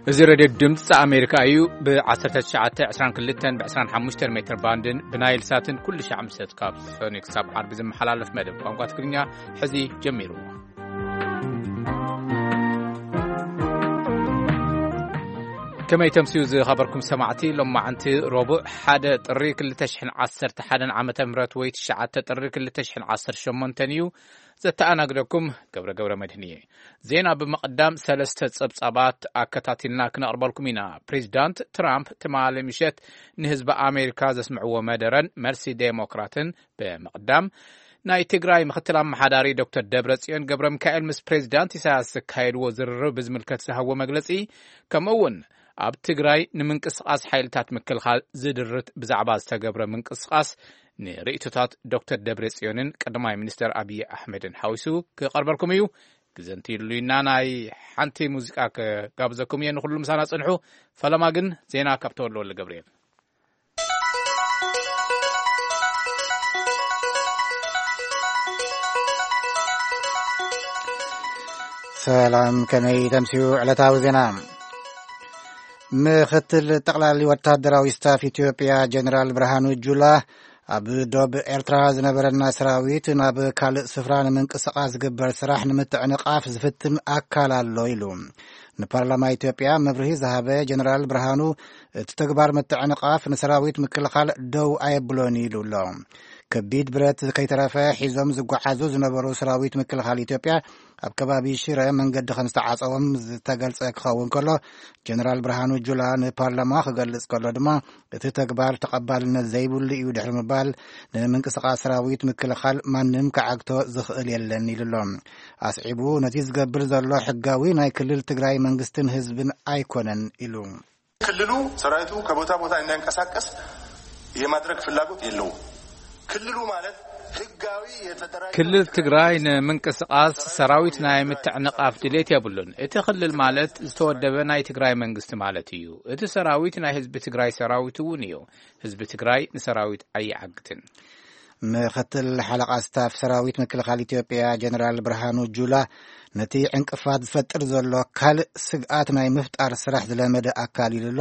እዚ ሬድዮ ድምፂ ኣሜሪካ እዩ። ብ1922 ብ25 ሜትር ባንድን ብናይል ሳትን ኩሉ ሻዕ ምሸት ካብ ሰኑይ ክሳብ ዓርቢ ዝመሓላለፍ መደብ ቋንቋ ትግርኛ ሕዚ ጀሚሩ። ከመይ ተምስዩ ዝኸበርኩም ሰማዕቲ? ሎማዓንቲ ረቡዕ ሓደ ጥሪ ክልተ ሽሕን ዓሰርተ ሓደን ዓመተ ምህረት ወይ ትሽዓተ ጥሪ ክልተ ሽሕን ዓሰርተ ሸሞንተን እዩ። ዘተኣናግደኩም ገብረ ገብረ መድህን እየ። ዜና ብምቕዳም ሰለስተ ጸብጻባት ኣከታቲልና ክነቕርበልኩም ኢና። ፕሬዚዳንት ትራምፕ ትማሊ ምሸት ንህዝቢ ኣሜሪካ ዘስምዕዎ መደረን መልሲ ዴሞክራትን ብምቕዳም፣ ናይ ትግራይ ምኽትል ኣመሓዳሪ ዶክተር ደብረጽዮን ገብረ ሚካኤል ምስ ፕሬዚዳንት ኢሳያስ ዘካየድዎ ዝርርብ ብዝምልከት ዝሃብዎ መግለጺ፣ ከምኡ እውን ኣብ ትግራይ ንምንቅስቓስ ሓይልታት ምክልኻል ዝድርት ብዛዕባ ዝተገብረ ምንቅስቓስ ንርእይቶታት ዶክተር ደብረጽዮንን ቀዳማይ ሚኒስተር ኣብይ ኣሕመድን ሓዊሱ ክቐርበልኩም እዩ። ግዘ እንተይሉና ናይ ሓንቲ ሙዚቃ ክጋብዘኩም እየ። ንኹሉ ምሳና ጽንሑ። ፈለማ ግን ዜና ካብ ተወልደ ወልደ ገብርኤል። ሰላም፣ ከመይ ተምስዩ ዕለታዊ ዜና? ምኽትል ጠቕላሊ ወታደራዊ ስታፍ ኢትዮጵያ ጀነራል ብርሃኑ ጁላ፣ ኣብ ዶብ ኤርትራ ዝነበረና ሰራዊት ናብ ካልእ ስፍራ ንምንቅስቓስ ዝግበር ስራሕ ንምትዕንቓፍ ዝፍትን ኣካል ኣሎ ኢሉ። ንፓርላማ ኢትዮጵያ መብርሂ ዝሃበ ጀነራል ብርሃኑ፣ እቲ ተግባር ምትዕንቓፍ ንሰራዊት ምክልኻል ደው ኣየብሎን ኢሉ ኣሎ። ከቢድ ብረት ከይተረፈ ሒዞም ዝጓዓዙ ዝነበሩ ሰራዊት ምክልኻል ኢትዮጵያ ኣብ ከባቢ ሽረ መንገዲ ከም ዝተዓጸዎም ዝተገልጸ ክኸውን ከሎ፣ ጀነራል ብርሃኑ ጁላ ንፓርላማ ክገልጽ ከሎ ድማ፣ እቲ ተግባር ተቐባልነት ዘይብሉ እዩ ድሕሪ ምባል፣ ንምንቅስቓስ ሰራዊት ምክልኻል ማንም ክዓግቶ ዝኽእል የለን ኢሉ ኣሎ። ኣስዒቡ፣ ነቲ ዝገብር ዘሎ ሕጋዊ ናይ ክልል ትግራይ መንግስትን ህዝብን ኣይኮነን ኢሉ። ክልሉ ሰራዊቱ ከቦታ ቦታ እንዳይንቀሳቀስ የማድረግ ፍላጎት የለውም። ክልሉ ማለት ህጋዊ የተደራጀ ክልል ትግራይ ንምንቅስቓስ ሰራዊት ናይ ምትዕንቓፍ ድሌት የብሉን። እቲ ክልል ማለት ዝተወደበ ናይ ትግራይ መንግስቲ ማለት እዩ። እቲ ሰራዊት ናይ ህዝቢ ትግራይ ሰራዊት እውን እዩ። ህዝቢ ትግራይ ንሰራዊት ኣይዓግትን። ምኽትል ሓለቓ ስታፍ ሰራዊት ምክልኻል ኢትዮጵያ ጀነራል ብርሃኑ ጁላ፣ ነቲ ዕንቅፋት ዝፈጥር ዘሎ ካልእ ስግኣት ናይ ምፍጣር ስራሕ ዝለመደ ኣካል ኢሉ ኣሎ።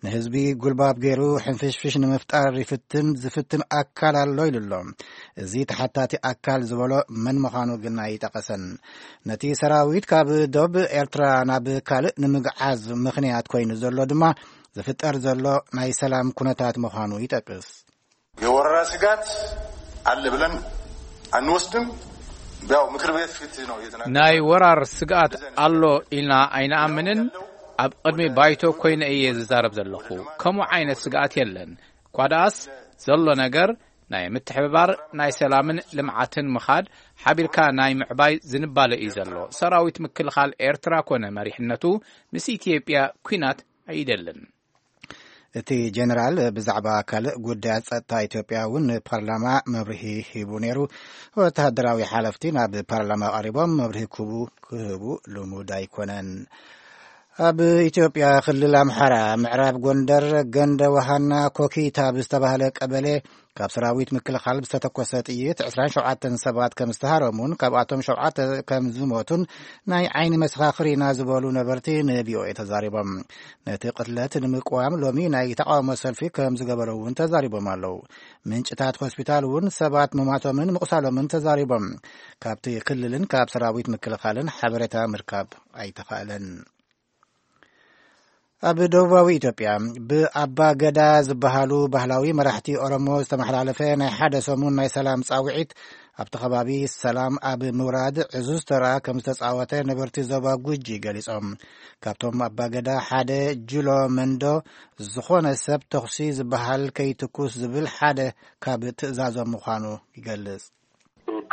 ንህዝቢ ጉልባብ ገይሩ ሕንፍሽፍሽ ንምፍጣር ይፍትን ዝፍትን ኣካል ኣሎ ኢሉ ኣሎ። እዚ ተሓታቲ ኣካል ዝበሎ መን ምዃኑ ግን ኣይጠቐሰን። ነቲ ሰራዊት ካብ ዶብ ኤርትራ ናብ ካልእ ንምግዓዝ ምኽንያት ኮይኑ ዘሎ ድማ ዝፍጠር ዘሎ ናይ ሰላም ኩነታት ምዃኑ ይጠቅስ። የወረራ ስጋት ኣለ ብለን ኣንወስድም። ያው ምክር ቤት ፊት ነው እየተናገረ ናይ ወራር ስግኣት ኣሎ ኢልና ኣይንኣምንን። ኣብ ቅድሚ ባይቶ ኮይነ እየ ዝዛረብ ዘለኹ። ከምኡ ዓይነት ስግኣት የለን። ኳ ደኣስ ዘሎ ነገር ናይ ምትሕብባር፣ ናይ ሰላምን ልምዓትን ምኻድ፣ ሓቢርካ ናይ ምዕባይ ዝንባለ እዩ ዘሎ። ሰራዊት ምክልኻል ኤርትራ ኮነ መሪሕነቱ ምስ ኢትዮጵያ ኲናት ኣይደልን። እቲ ጀነራል ብዛዕባ ካልእ ጉዳያት ጸጥታ ኢትዮጵያ እውን ንፓርላማ መብርሂ ሂቡ ነይሩ። ወተሃደራዊ ሓለፍቲ ናብ ፓርላማ ቀሪቦም መብርሂ ክህቡ፣ ክህቡ ልሙድ ኣይኮነን። ኣብ ኢትዮጵያ ክልል ኣምሓራ ምዕራብ ጎንደር ገንደ ውሃና ኮኪት ኣብ ዝተባህለ ቀበሌ ካብ ሰራዊት ምክልኻል ብዝተተኮሰ ጥይት ዕስራን ሸውዓተን ሰባት ከም ዝተሃረሙን ካብኣቶም ሸውዓተ ከም ዝሞቱን ናይ ዓይኒ መሰኻኽር ኢና ዝበሉ ነበርቲ ን ቪ ኦ ኤ ተዛሪቦም። ነቲ ቅትለት ንምቅዋም ሎሚ ናይ ተቃውሞ ሰልፊ ከም ዝገበሩ እውን ተዛሪቦም ኣለዉ። ምንጭታት ሆስፒታል እውን ሰባት ምማቶምን ምቁሳሎምን ተዛሪቦም። ካብቲ ክልልን ካብ ሰራዊት ምክልኻልን ሓበሬታ ምርካብ ኣይተኻእለን። ኣብ ደቡባዊ ኢትዮጵያ ብኣባ ገዳ ዝበሃሉ ባህላዊ መራሕቲ ኦሮሞ ዝተመሓላለፈ ናይ ሓደ ሰሙን ናይ ሰላም ጻውዒት ኣብቲ ከባቢ ሰላም ኣብ ምውራድ ዕዙዝ ተራ ከም ዝተጻወተ ነበርቲ ዞባ ጉጂ ገሊጾም። ካብቶም ኣባ ገዳ ሓደ ጅሎ መንዶ ዝኾነ ሰብ ተኹሲ ዝበሃል ከይትኩስ ዝብል ሓደ ካብ ትእዛዞም ምዃኑ ይገልጽ።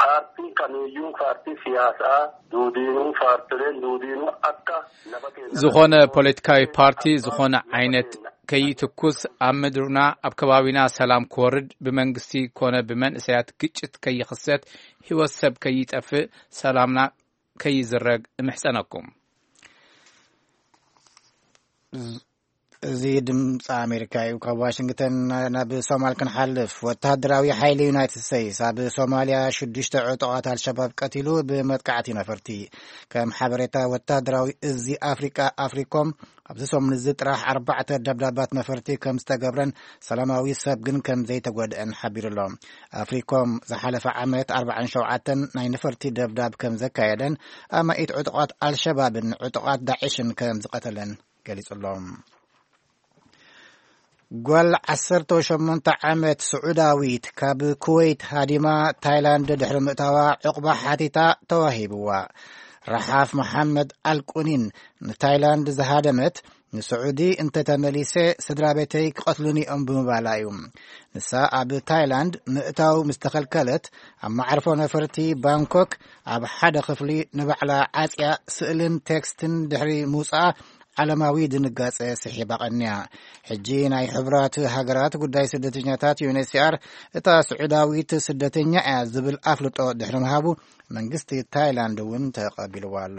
Paartiin kamiyyuu paartii siyaasaa duudiinuu paartileen duudiinuu akka lafa keenya ዝኾነ ፖለቲካዊ ፓርቲ ዝኾነ ዓይነት ከይትኩስ፣ ኣብ ምድርና ኣብ ከባቢና ሰላም ክወርድ፣ ብመንግስቲ ኮነ ብመንእሰያት ግጭት ከይኽሰት፣ ህይወት ሰብ ከይጠፍእ፣ ሰላምና ከይዝረግ እምሕጸነኩም። እዚ ድምፂ ኣሜሪካ እዩ። ካብ ዋሽንግተን ናብ ሶማል ክንሓልፍ፣ ወተሃደራዊ ሓይሊ ዩናይትድ ስቴትስ ኣብ ሶማልያ ሽዱሽተ ዕጡቓት ኣልሸባብ ቀቲሉ ብመጥቃዕቲ ነፈርቲ። ከም ሓበሬታ ወተሃደራዊ እዚ ኣፍሪቃ ኣፍሪኮም፣ ኣብዚ ሰሙን እዚ ጥራሕ ኣርባዕተ ደብዳባት ነፈርቲ ከም ዝተገብረን ሰላማዊ ሰብ ግን ከም ዘይተጎድአን ሓቢሩ ኣሎ። ኣፍሪኮም ዝሓለፈ ዓመት ኣርባዓን ሸውዓተን ናይ ነፈርቲ ደብዳብ ከም ዘካየደን ኣማኢት ዕጡቓት ኣልሸባብን ዕጡቓት ዳዕሽን ከም ዝቐተለን ገሊጹ ኣሎ። ጓል ዓሰርተ ሸሞንተ ዓመት ስዑዳዊት ካብ ኩወይት ሃዲማ ታይላንድ ድሕሪ ምእታዋ ዕቑባ ሓቲታ ተዋሂብዋ። ረሓፍ መሓመድ ኣልቁኒን ንታይላንድ ዝሃደመት፣ ንስዑዲ እንተተመሊሰ ስድራ ቤተይ ክቐትሉኒ እዮም ብምባላ እዩ። ንሳ ኣብ ታይላንድ ምእታው ምስ ተኸልከለት፣ ኣብ መዓርፎ ነፈርቲ ባንኮክ ኣብ ሓደ ክፍሊ ንባዕላ ዓጽያ ስእልን ቴክስትን ድሕሪ ምውጻኣ ዓለማዊ ድንጋጸ ስሒባ ቀንያ። ሕጂ ናይ ሕቡራት ሃገራት ጉዳይ ስደተኛታት፣ ዩ ኤን ኤች ሲ ኣር፣ እታ ስዑዳዊት ስደተኛ እያ ዝብል ኣፍልጦ ድሕሪ ምሃቡ፣ መንግስቲ ታይላንድ እውን ተቐቢልዋ ኣሎ።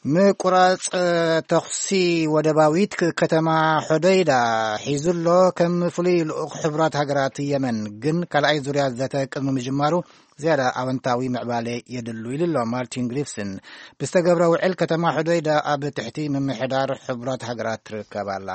ምቁራጽ ተኹሲ ወደባዊት ክ-፣ ከተማ ሖደይዳ ሒዙ ኣሎ። ከም ፍሉይ ልኡኽ ሕቡራት ሃገራት የመን ግን ካልኣይ ዙርያ ዘተ ቅድሚ ምጅማሩ ዝያዳ ኣወንታዊ ምዕባለ የድሉ ኢሉ ኣሎ ማርቲን ግሪፍስን። ብዝተገብረ ውዕል ከተማ ሖደይዳ ኣብ ትሕቲ ምምሕዳር ሕቡራት ሃገራት ትርከብ ኣላ።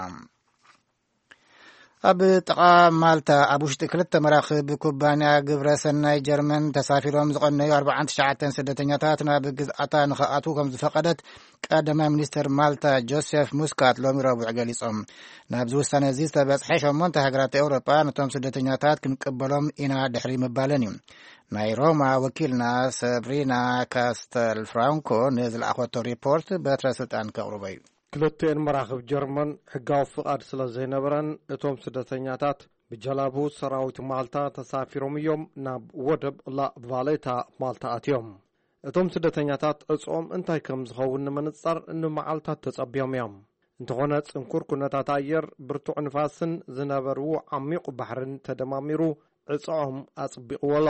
ኣብ ጥቓ ማልታ ኣብ ውሽጢ ክልተ መራኽብ ኩባንያ ግብረ ሰናይ ጀርመን ተሳፊሮም ዝቐነዩ ኣርባዓን ትሽዓተን ስደተኛታት ናብ ግዝኣታ ንኽኣትዉ ከም ዝፈቐደት ቀዳማይ ሚኒስትር ማልታ ጆሴፍ ሙስካት ሎሚ ረቡዕ ገሊጾም። ናብዚ ውሳነ እዚ ዝተበጽሐ ሸሞንተ ሃገራት ኤውሮጳ ነቶም ስደተኛታት ክንቅበሎም ኢና ድሕሪ ምባለን እዩ። ናይ ሮማ ወኪልና ሰብሪና ካስተል ፍራንኮ ንዝለኣኸቶ ሪፖርት በትረ ስልጣን ከቕርቦ እዩ። ክልቲኤን መራኽብ ጀርመን ሕጋዊ ፍቓድ ስለ ዘይነበረን፣ እቶም ስደተኛታት ብጀላቡ ሰራዊት ማልታ ተሳፊሮም እዮም ናብ ወደብ ላ ቫሌታ ማልታ ኣትዮም። እቶም ስደተኛታት ዕጽኦም እንታይ ከም ዝኸውን ንምንጻር ንመዓልታት ተጸብዮም እዮም። እንተኾነ፣ ጽንኩር ኩነታት ኣየር፣ ብርቱዕ ንፋስን ዝነበርዎ ዓሚቕ ባሕርን ተደማሚሩ ዕጽኦም ኣጽቢቕዎ ኣሎ።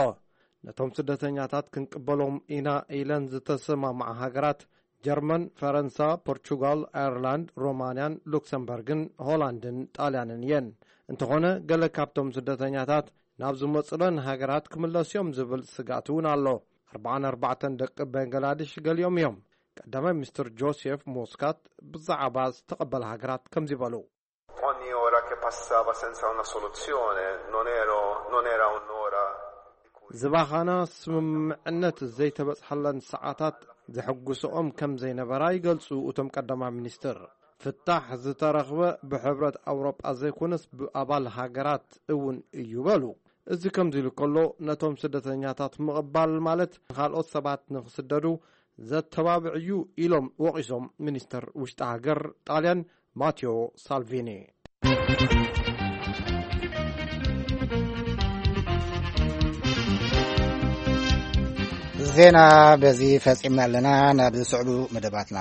ነቶም ስደተኛታት ክንቅበሎም ኢና ኢለን ዝተሰማምዓ ሃገራት ጀርመን፣ ፈረንሳ፣ ፖርቹጋል፣ ኣየርላንድ፣ ሮማንያን ሉክሰምበርግን ሆላንድን ጣልያንን እየን። እንተኾነ፣ ገለ ካብቶም ስደተኛታት ናብ ዝመጹለን ሃገራት ክምለሱ እዮም ዝብል ስግኣት እውን ኣሎ። ኣርባዓን ኣርባዕተን ደቂ በንገላድሽ ገሊኦም እዮም። ቀዳማይ ሚኒስትር ጆሴፍ ሞስካት ብዛዕባ ዝተቐበለ ሃገራት ከምዚ በሉ። Ogni ora che passava senza una soluzione non ero, non era un'ora di cui ዝባኻና ስምምዕነት ዘይተበጽሐለን ሰዓታት ዘሐጉስኦም ከም ዘይነበራ ይገልጹ እቶም ቀዳማይ ሚኒስትር። ፍታሕ ዝተረኽበ ብሕብረት ኣውሮጳ ዘይኮነስ ብኣባል ሃገራት እውን እዩ በሉ። እዚ ከምዚ ኢሉ ከሎ፣ ነቶም ስደተኛታት ምቕባል ማለት ንኻልኦት ሰባት ንኽስደዱ ዘተባብዕ እዩ ኢሎም ወቒሶም ሚኒስተር ውሽጢ ሃገር ጣልያን ማቴዎ ሳልቪኒ። ዜና በዚ ፈጺምና ኣለና። ናብ ዝስዕቡ መደባትና።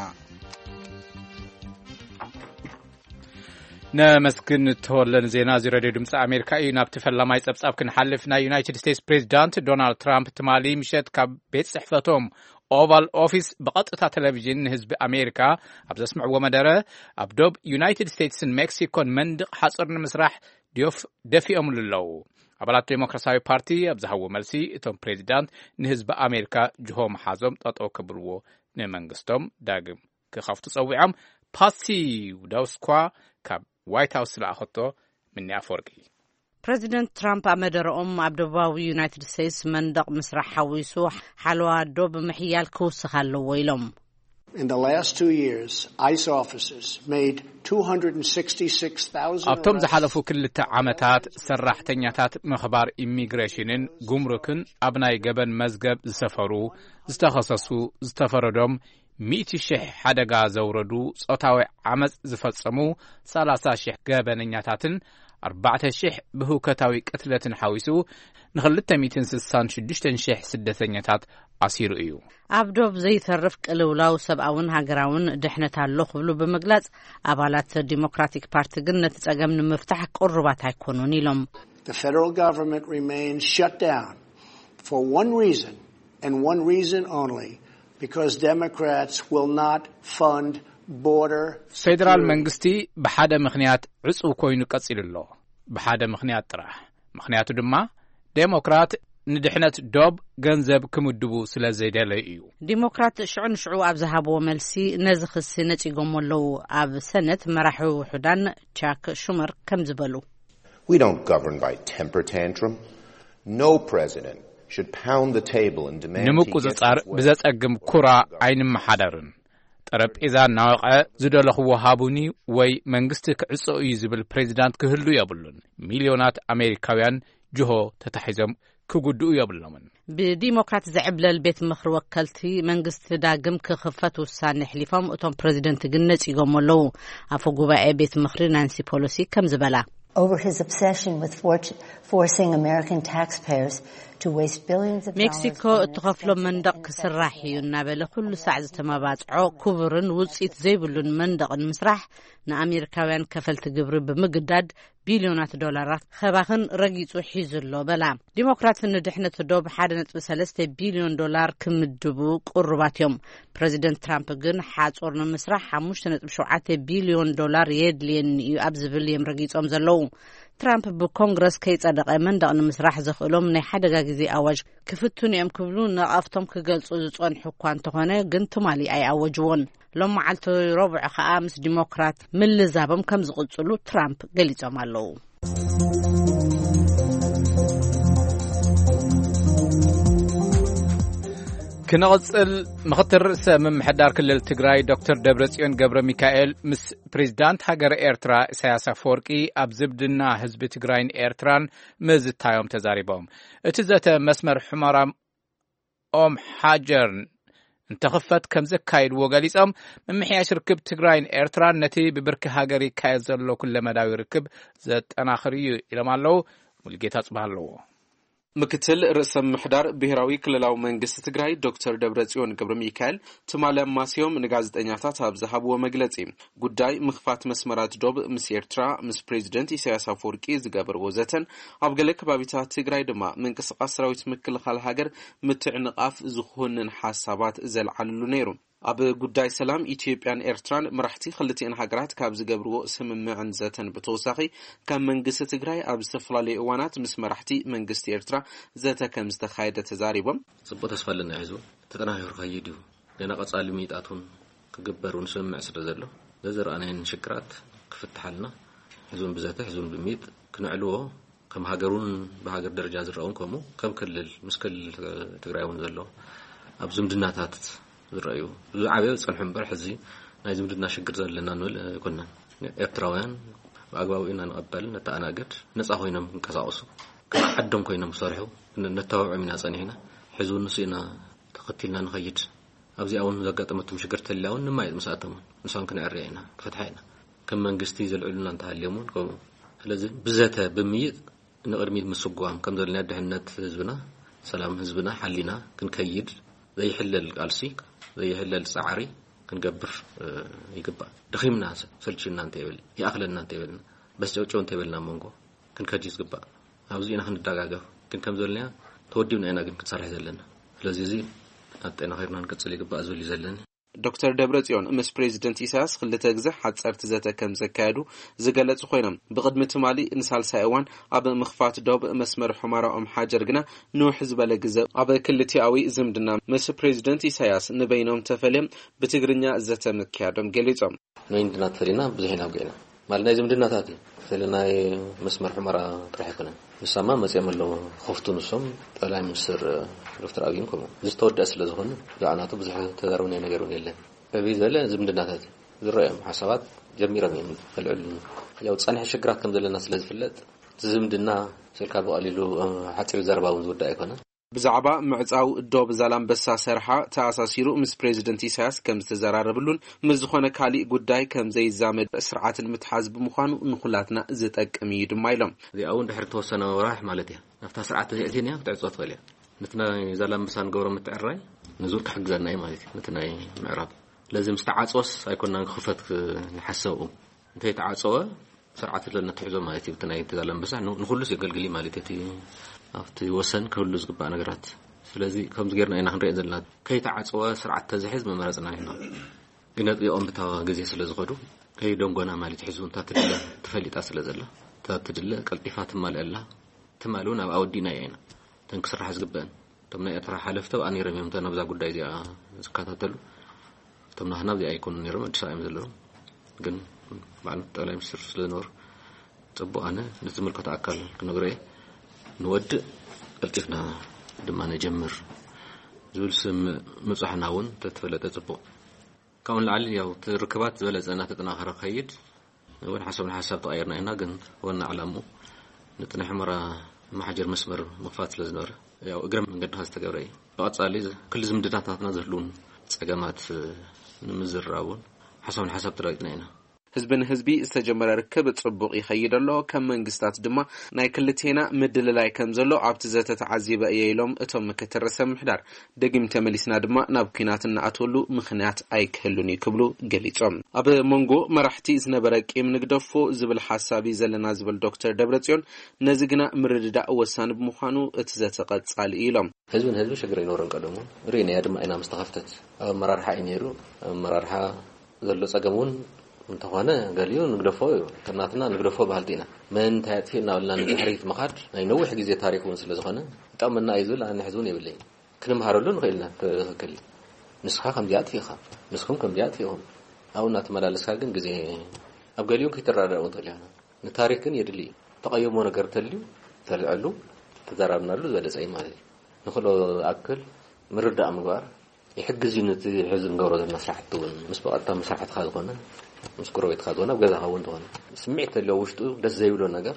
ነመስግን ተወለ ንዜና እዚ ሬድዮ ድምፂ ኣሜሪካ እዩ። ናብቲ ፈላማይ ፀብፃብ ክንሓልፍ፣ ናይ ዩናይትድ ስቴትስ ፕሬዚዳንት ዶናልድ ትራምፕ ትማሊ ምሸት ካብ ቤት ፅሕፈቶም ኦቫል ኦፊስ ብቐጥታ ቴሌቪዥን ንህዝቢ ኣሜሪካ ኣብ ዘስምዕዎ መደረ፣ ኣብ ዶብ ዩናይትድ ስቴትስን ሜክሲኮን መንድቕ ሓፁር ንምስራሕ ደፊኦምሉ ኣለዉ። ኣባላት ዴሞክራሲያዊ ፓርቲ ኣብ ዝሃብዎ መልሲ፣ እቶም ፕሬዚዳንት ንህዝቢ ኣሜሪካ ጅሆ መሓዞም ጠጠው ከብልዎ ንመንግስቶም ዳግም ክኸፍቱ ጸዊዖም። ፓሲ ውዳውስኳ ካብ ዋይት ሃውስ ዝለኣኸቶ ምኒ ኣፈወርቂ። ፕረዚደንት ትራምፕ ኣብ መደረኦም፣ ኣብ ደቡባዊ ዩናይትድ ስቴትስ መንደቕ ምስራሕ ሓዊሱ ሓለዋ ዶብ ምሕያል ክውስኽ ኣለዎ ኢሎም። In the last two years, ice officers made two hundred sixty-six thousand ኣብቶም arrests. ዝሓለፉ ክልተ ዓመታት ሰራሕተኛታት ምኽባር ኢሚግሬሽንን ጉምሩክን ኣብ ናይ ገበን መዝገብ ዝሰፈሩ፣ ዝተኸሰሱ፣ ዝተፈረዶም፣ ሚእቲ ሽሕ ሓደጋ ዘውረዱ፣ ጾታዊ ዓመጽ ዝፈጸሙ ሰላሳ ሽሕ ገበነኛታትን ኣርባዕተ ሽሕ ብህውከታዊ ቅትለትን ሓዊሱ ንኽልተ ሚእትን ስሳን ሽዱሽተን ሽሕ ስደተኛታት ኣሲሩ እዩ። ኣብ ዶብ ዘይተርፍ ቅልውላው ሰብኣውን ሃገራውን ድሕነት ኣሎ ክብሉ ብምግላጽ፣ ኣባላት ዲሞክራቲክ ፓርቲ ግን ነቲ ጸገም ንምፍታሕ ቅሩባት ኣይኮኑን ኢሎም። The federal government remains shut down for one reason and one reason only, because Democrats will not fund ፌዴራል መንግስቲ ብሓደ ምኽንያት ዕጹው ኮይኑ ቀጺሉ ኣሎ። ብሓደ ምኽንያት ጥራሕ። ምኽንያቱ ድማ ዴሞክራት ንድሕነት ዶብ ገንዘብ ክምድቡ ስለ ዘይደለዩ እዩ። ዲሞክራት ሽዑ ንሽዑ ኣብ ዝሃብዎ መልሲ ነዚ ክሲ ነጺጎሞ ኣለዉ። ኣብ ሰነት መራሒ ውሑዳን ቻክ ሹመር ከም ዝበሉ፣ We don't govern by temper tantrum. No president should pound the table and demand he gets ንምቁጽጻር his way. ብዘጸግም ኩራ ኣይንመሓደርን። ጠረጴዛ እናወቐ ዝደለኽዎ ሃቡኒ ወይ መንግስቲ ክዕጾ እዩ ዝብል ፕሬዚዳንት ክህሉ የብሉን። ሚልዮናት ኣሜሪካውያን ጅሆ ተታሒዞም ክጉድኡ የብሎምን። ብዲሞክራት ዝዕብለል ቤት ምኽሪ ወከልቲ መንግስቲ ዳግም ክኽፈት ውሳኔ ኣሕሊፎም፣ እቶም ፕሬዚደንት ግን ነጺጎም ኣለዉ። ኣፈ ጉባኤ ቤት ምኽሪ ናንሲ ፖሎሲ ከም ዝበላ፣ Over his obsession with for- forcing American taxpayers to waste billions of dollars ሜክሲኮ on እትኸፍሎ መንደቕ ክስራሕ እዩ እናበለ ኩሉ ሳዕ ዝተመባጽዖ ክቡርን ውጽኢት ዘይብሉን መንደቕ ንምስራሕ ንኣሜሪካውያን ከፈልቲ ግብሪ ብምግዳድ ቢልዮናት ዶላራት ከባኽን ረጊጹ ሒዙ ኣሎ በላ። ዲሞክራት ንድሕነት ዶብ ሓደ ነጥቢ ሰለስተ ቢልዮን ዶላር ክምድቡ ቅሩባት እዮም። ፕሬዚደንት ትራምፕ ግን ሓጹር ንምስራሕ ሓሙሽተ ነጥቢ ሸውዓተ ቢልዮን ዶላር የድልየኒ እዩ ኣብ ዝብል እዮም ረጊጾም ዘለዉ። ትራምፕ ብኮንግረስ ከይጸደቐ መንደቕ ንምስራሕ ዘኽእሎም ናይ ሓደጋ ግዜ ኣዋጅ ክፍትኑ እዮም ክብሉ ነቐፍቶም ክገልጹ ዝጸንሑ እኳ እንተኾነ ግን ትማሊ ኣይኣወጅዎን። ሎም መዓልቲ ረቡዕ ከኣ ምስ ዲሞክራት ምልዛቦም ከም ዝቕጽሉ ትራምፕ ገሊጾም ኣለዉ። ክንቕጽል፣ ምኽትል ርእሰ ምምሕዳር ክልል ትግራይ ዶክተር ደብረጽዮን ገብረ ሚካኤል ምስ ፕሬዚዳንት ሃገር ኤርትራ ኢሳያስ ኣፈወርቂ ኣብ ዝምድና ህዝቢ ትግራይን ኤርትራን ምዝታዮም ተዛሪቦም። እቲ ዘተ መስመር ሑመራ ኦም ሓጀር እንተኽፈት ከም ዘካይድዎ ገሊጾም፣ ምምሕያሽ ርክብ ትግራይን ኤርትራን ነቲ ብብርኪ ሃገር ይካየድ ዘሎ ኩለመዳዊ ርክብ ዘጠናኽር እዩ ኢሎም ኣለዉ። ሙሉጌታ ጽባህ ኣለዎ። ምክትል ርእሰ ምምሕዳር ብሔራዊ ክልላዊ መንግስቲ ትግራይ ዶክተር ደብረጽዮን ገብረ ሚካኤል ትማሊ ኣማስዮም ንጋዜጠኛታት ኣብ ዝሃብዎ መግለጺ፣ ጉዳይ ምኽፋት መስመራት ዶብ ምስ ኤርትራ ምስ ፕሬዚደንት ኢሳያስ ኣፈወርቂ ዝገበርዎ ዘተን ኣብ ገለ ከባቢታት ትግራይ ድማ ምንቅስቓስ ሰራዊት ምክልኻል ሃገር ምትዕንቓፍ ዝኾንን ሓሳባት ዘልዓልሉ ነይሩ። ኣብ ጉዳይ ሰላም ኢትዮጵያን ኤርትራን መራሕቲ ክልቲኣን ሃገራት ካብ ዝገብርዎ ስምምዕን ዘተን ብተወሳኺ ካብ መንግስቲ ትግራይ ኣብ ዝተፈላለዩ እዋናት ምስ መራሕቲ መንግስቲ ኤርትራ ዘተ ከም ዝተኻየደ ተዛሪቦም። ጽቡቕ ተስፋ ኣለና። ሕዚ እውን ተጠናኺሩ ክኸይድ እዩ። ገና ቀጻሊ ምይጣት እውን ክግበር እውን ስምምዕ ስለ ዘሎ ዘዝረኣናየን ሽግራት ክፍትሓልና ሕዚ እውን ብዘተ ሕዚ እውን ብምይጥ ክነዕልዎ ከም ሃገር እውን ብሃገር ደረጃ ዝረኣ እውን ከምኡ ከም ክልል ምስ ክልል ትግራይ እውን ዘሎ ኣብ ዝምድናታት ዝረኣዩ ዝዓበየ ዝጸንሑ እምበር ሕዚ ናይ ዝምድና ሽግር ዘለና ንብል ኣይኮንናን። ኤርትራውያን ብኣግባቡ ኢና ንቐበል፣ ነተኣናግድ፣ ነጻ ኮይኖም ክንቀሳቐሱ፣ ከም ዓዶም ኮይኖም ክሰርሑ ን- ነተባብዖም ኢና ጸኒሕና። ሕዚ እውን ንሱ ኢና ተኸቲልና ንኸይድ። ኣብዚኣ እውን ዘጋጠመቶም ሽግር ተልያ እውን ንማየጥ ምስኣቶም እውን ንሶም ክነዕርያ ኢና፣ ክፈትሓ ኢና። ከም መንግስቲ ዘልዕሉና እንተሃልዮም እውን ከምኡ። ስለዚ ብዘተ ብምይጥ ንቕድሚት ምስጓም ከም ዘለና ድሕነት ህዝብና፣ ሰላም ህዝብና ሓሊና ክንከይድ ዘይሕለል ቃልሲ፣ ዘይሕለል ጻዕሪ ክንገብር፣ እ፣ ይግባእ። ደኺምና፣ ሰልችና እንተይበል፣ ይኣኽለና እንተይበልና፣ በስጨውጨው እንተይበልና መንጎ ክንከድ እዩ ዝግባእ። ኣብዚ ኢና ክንደጋገፍ። ግን ከም ዘለና ተወዲብና ኢና ግን ክንሰርሕ ዘለና። ስለዚ እዚ ኣጠናኺርና ክንቅጽል ይግባእ ዝብል እዩ ዘለኒ። ዶክተር ደብረጽዮን ምስ ፕሬዚደንት ኢሳያስ ክልተ ግዜ ሓጸርቲ ዘተ ከም ዘካየዱ ዝገለጹ ኮይኖም፣ ብቕድሚ ትማሊ ንሳልሳይ እዋን ኣብ ምኽፋት ዶብ መስመር ሑመራ ኦም ሓጀር ግና ንውሕ ዝበለ ግዜ ኣብ ክልቲኣዊ ዝምድና ምስ ፕሬዚደንት ኢሳያስ ንበይኖም ተፈልዮም ብትግርኛ ዘተ ምክያዶም ገሊጾም። ንወይን ድና ተፈሊና ብዙሕ ኢና ኣውጊዕና። ማለት ናይ ዝምድናታት እዩ። ስለ ናይ መስመር ሑመራ ጥራሕ ኣይኮነን። ንሳማ መጺኦም ኣለዉ። ከፍቱ ንሶም ጠቅላይ ሚኒስትር ዶክተር ኣብይን ከምኡ። እዚ ዝተወደአ ስለ ዝኾነ ብዛዕባ ናቱ ብዙሕ ተዛረብናዮ ነገር እውን የለን። ዕብይ ዝበለ ዝምድናታት እዩ። ዝረኣዮም ሓሳባት ጀሚሮም እዮም ከልዕሉ። ያው ጸንሐ ሽግራት ከም ዘለና ስለ ዝፍለጥ፣ እቲ ዝምድና ስልካ ብቐሊሉ፣ እ፣ ሓጺር ዘረባ እውን ዝውዳእ ኣይኮነን። ብዛዕባ ምዕጻው ዶብ ዛላምበሳ ሰርሓ ተኣሳሲሩ ምስ ፕሬዚደንት ኢሳያስ ከም ዝተዘራረብሉን ምስ ዝኾነ ካሊእ ጉዳይ ከም ዘይዛመድ ስርዓት ንምትሓዝ ብምዃኑ ንኹላትና ዝጠቅም እዩ ድማ ኢሎም። እዚኣ እውን ድሕሪ ተወሰነ ወራሕ ማለት እያ ናብታ ስርዓት ተዘይእትንያ ክትዕጾ ትኽእል እያ። ነቲ ናይ ዛላምበሳ ንገብሮ ምትዕራይ ንዙር ክሕግዘና እዩ ማለት እዩ። ነቲ ናይ ምዕራብ ስለዚ ምስ ተዓጽወስ ኣይኮናን ክኽፈት ክ-፣ ንሓሰብኡ። እንተይተዓጸወ ስርዓት ለነትሕዞ ማለት እዩ። እቲ ናይ ዛላምበሳ ን-፣ ንኹሉስ የገልግል እዩ ማለት እዩ። እቲ ኣብቲ ወሰን ክህሉ ዝግባእ ነገራት። ስለዚ ከምዚ ጌርና ኢና ክንሪኦ ዘለና። ከይተዓጸወ ስርዓት ተዝሕዝ መመረጽና ይህሉ። ግን ኣጥቢቖም ብታ ግዜ ስለ ዝኸዱ ከይደንጎና ማለት ሕዚ እውን እታ ትድለ ተፈሊጣ ስለ ዘላ እታ ትድለ ቀልጢፋ ትማልእ ኣላ። ትማል እውን ኣብ ኣወዲእና ኢና እተን ክስራሕ ዝግበአን እቶም ናይ ኤርትራ ሓለፍቲ ኣብኣ ነይሮም እዮም እቶም ኣብዛ ጉዳይ እዚኣ ዝከታተሉ። እቶም ናህና ኣብዚኣ ኣይኮኑ ነይሮም ኣዲስ ኣበባ እዮም ዘለዉ። ግን በዓል ጠቅላይ ሚኒስትር ስለ ዝነበሩ ጽቡቕ ኣነ ነቲ ዝምልከቶ ኣካል ክነግሮ እየ። ንወድእ ቀልጢፍና ድማ ነጀምር ዝብል ስም ምብጻሕና እውን ተተፈለጠ ጽቡቕ። ካብኡ ንላዕሊ ያው እቲ ርክባት ዝበለጸ እናተጠናኸረ ክኸይድ እውን ሓሳብ ንሓሳብ ተቐየርና ኢና። ግን ዋና ዕላምኡ ንጥንሒ ሑመራ መሓጀር መስመር ምኽፋት ስለ ዝነበረ ያው እግረ መንገድኻ ዝተገብረ እዩ። ብቐጻሊ ክል ዝምድናታትና ዝህልውን ጸገማት ንምዝራብ እውን ሓሳብ ንሓሳብ ተለዋጢጥና ኢና። ህዝቢ ንህዝቢ ዝተጀመረ ርክብ ጽቡቕ ይኸይድ ኣሎ። ከም መንግስታት ድማ ናይ ክልቴና ምድልላይ ከም ዘሎ ኣብቲ ዘተ ተዓዚበ እየ ኢሎም እቶም ምክትል ርእሰ ምምሕዳር። ደጊም ተመሊስና ድማ ናብ ኲናት እንኣትወሉ ምኽንያት ኣይክህሉን እዩ ክብሉ ገሊጾም። ኣብ መንጎ መራሕቲ ዝነበረ ቂም ንግደፎ ዝብል ሓሳብ እዩ ዘለና ዝብል ዶክተር ደብረጽዮን፣ ነዚ ግና ምርድዳእ ወሳኒ ብምዃኑ እቲ ዘተ ቀጻሊ እዩ ኢሎም። ህዝቢ ንህዝቢ ሽግር ኣይነበሮን ቀደሙ። ርኢናያ ድማ ኢና ምስ ተኸፍተት። ኣብ ኣመራርሓ እዩ ነይሩ። ኣብ ኣመራርሓ ዘሎ ጸገም እውን እንተኾነ ገሊኡ ንግደፎ እዩ። ከም ናትና ንግደፎ በሃልቲ ኢና። መን እንታይ ኣጥፊኡ እናበልና ንድሕሪት ምኻድ ናይ ነዊሕ ግዜ ታሪክ እውን ስለ ዝኾነ ይጠቕመና እዩ ዝብል ኣነ ሕዚ እውን የብለይን። ክንምሃረሉ ንኽእል ኢና። ትኽክል እዩ። ንስኻ ከምዚኣ ኣጥፊእኻ፣ ንስኹም ከምዚኣ ኣጥፊእኹም፣ ኣብኡ እናተመላለስካ ግን ግዜ ኣብ ገሊኡ ከይትረዳዳእ እውን ትኽእል ኢኻ። ንታሪክ ግን የድሊ እዩ። ተቐየሞ ነገር ተልዩ ተልዐሉ ተዘራርብናሉ ዝበለጸ እዩ ማለት እዩ። ንኽእሎ ኣክል ምርዳእ ምግባር ይሕግዝ እዩ። ነቲ ሕዚ ንገብሮ ዘለና ስራሕቲ እውን ምስ ብቐጥታ መሳርሕትኻ ዝኾነ ምስ ጎረቤትካ ዝኾነ ኣብ ገዛኻ እውን ዝኾነ ስምዒት ተልዮ ውሽጡ ደስ ዘይብሎ ነገር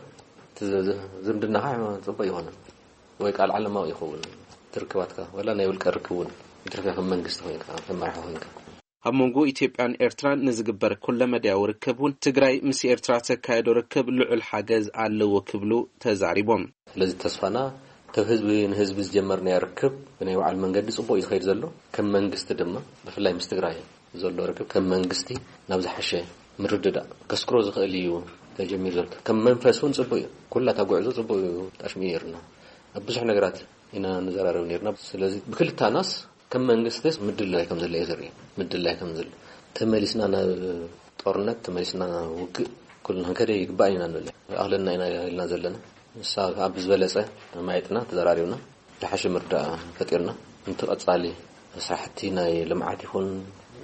እቲ ዝ- ዝ- ዝምድናኻ ጽቡቕ ይኾነ ወይ ቃል ዓለማዊ ይኸውን ትርክባትካ ወላ ናይ ውልቀ ርክብ እውን ይትረፍያ ከም መንግስቲ ኮይንካ ከም መራሒ ኮይንካ ኣብ መንጎ ኢትዮጵያን ኤርትራን ንዝግበር ኩለመዳያዊ ርክብ እውን ትግራይ ምስ ኤርትራ ተካየዶ ርክብ ልዑል ሓገዝ ኣለዎ ክብሉ ተዛሪቦም። ስለዚ ተስፋና ካብ ህዝቢ ንህዝቢ ዝጀመርናዮ ርክብ ብናይ ባዕሉ መንገዲ ጽቡቕ እዩ ዝኸይድ ዘሎ። ከም መንግስቲ ድማ ብፍላይ ምስ ትግራይ ዘሎ ርክብ ከም መንግስቲ ናብ ዝሓሸ ምርድዳእ ከስክሮ ዝኽእል እዩ ተጀሚሩ ዘሎ። ከም መንፈስ እውን ጽቡቕ እዩ። ኩላ እታ ጉዕዞ ጽቡቕ እዩ። ጣሽሚ ነይርና ኣብ ብዙሕ ነገራት ኢና ንዘራረብ ነይርና። ስለዚ ብክልታናስ ከም መንግስቲስ ምድላይ ከም ዘሎ እዩ ዘርኢ። ምድላይ ከም ዘሎ ተመሊስና ናብ ጦርነት ተመሊስና ናብ ውግእ ኩልና ክንከደ ይግባእ ኢና ንብል። ኣኽለና ኢና ኢልና ዘለና ንሳ ኣብ ዝበለጸ ማየጥና ተዘራሪብና ዝሓሸ ምርዳእ ፈጢርና። እንቲ ቀጻሊ ስራሕቲ ናይ ልምዓት ይኹን